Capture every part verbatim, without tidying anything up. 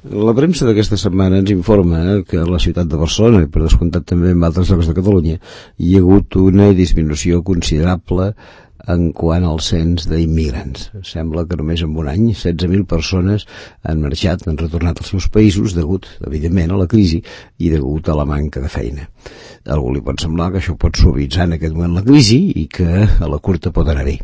La premsa d'aquesta setmana ens informa que a la ciutat de Barcelona, i per descomptat també en altres llocs de Catalunya, hi ha hagut una disminució considerable en quant al cens d'immigrants. Sembla que només en un any setze mil persones han marxat, han retornat als seus països degut, evidentment, a la crisi i degut a la manca de feina. A algú li pot semblar que això pot suavitzar en aquest moment la crisi i que a la curta pot anar bé.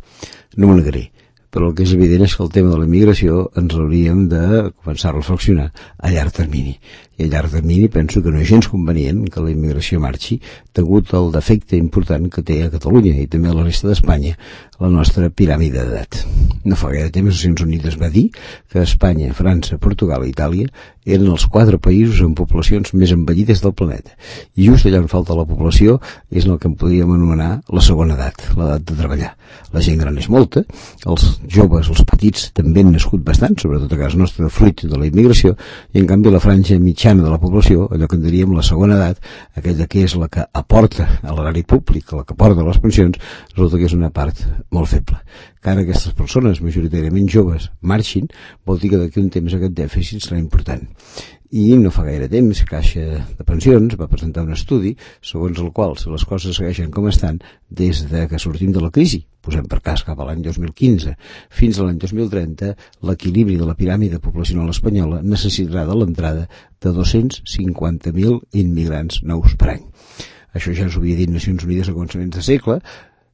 No m'ho negaré, però el que és evident és que el tema de la immigració ens hauríem de començar a reflexionar a llarg termini. I a llarg termini penso que no és gens convenient que la immigració marxi degut al defecte important que té a Catalunya i també a la resta d'Espanya la nostra piràmide d'edat. No fa gaire temps Nacions Unides va dir que Espanya, França, Portugal i Itàlia eren els quatre països amb poblacions més envellides del planeta. I just allà on falta la població és el que en podríem anomenar la segona edat, l'edat de treballar. La gent gran és molta, els joves, els petits, també han nascut bastant, sobretot a casa nostra, fruit de la immigració, i en canvi la franja mitjana de la població, allò que en diríem la segona edat, aquella que és la que aporta a l'erari públic, la que aporta a les pensions, resulta que és una part molt feble. Que ara aquestes persones, majoritàriament joves, marxin, vol dir que d'aquí un temps aquest dèficit serà important. I no fa gaire temps, Caixa de Pensions va presentar un estudi segons el qual, si les coses segueixen com estan, des de que sortim de la crisi, posem per cas cap a l'any dos mil quinze, fins a l'any dos mil trenta, l'equilibri de la piràmide poblacional espanyola necessitarà de l'entrada de dos-cents cinquanta mil immigrants nous per any. Això ja ens ho havia dit Nacions Unides a començaments de segle,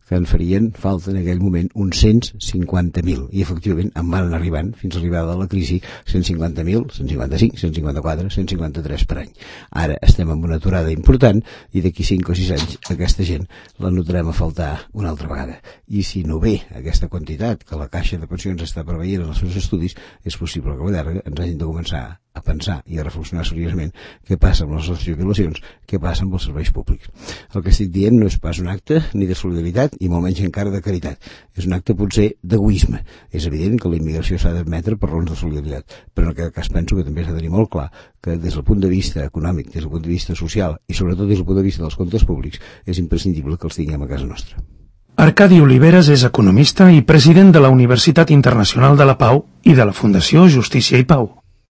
que en farien falta en aquell moment uns cent cinquanta mil, i efectivament en van arribant fins a l'arribada de la crisi cent cinquanta mil, cent cinquanta-cinc, cent cinquanta-quatre, cent cinquanta-tres per any. Ara estem amb una aturada important i d'aquí cinc o sis anys aquesta gent la notarem a faltar una altra vegada. I si no ve aquesta quantitat que la Caixa de Pensions està preveient en els seus estudis, és possible que a llarga ens hagin de començar a pensar i a reflexionar seriosament què passa amb les nostres jubilacions, què passa amb els serveis públics. El que estic dient no és pas un acte ni de solidaritat i molt menys encara de caritat. És un acte potser d'egoisme. És evident que la immigració s'ha d'admetre per raons de solidaritat, però en aquest cas penso que també s'ha de tenir molt clar que des del punt de vista econòmic, des del punt de vista social i sobretot des del punt de vista dels comptes públics és imprescindible que els tinguem a casa nostra. Arcadi Oliveres és economista i president de la Universitat Internacional de la Pau i de la Fundació Justícia i Pau.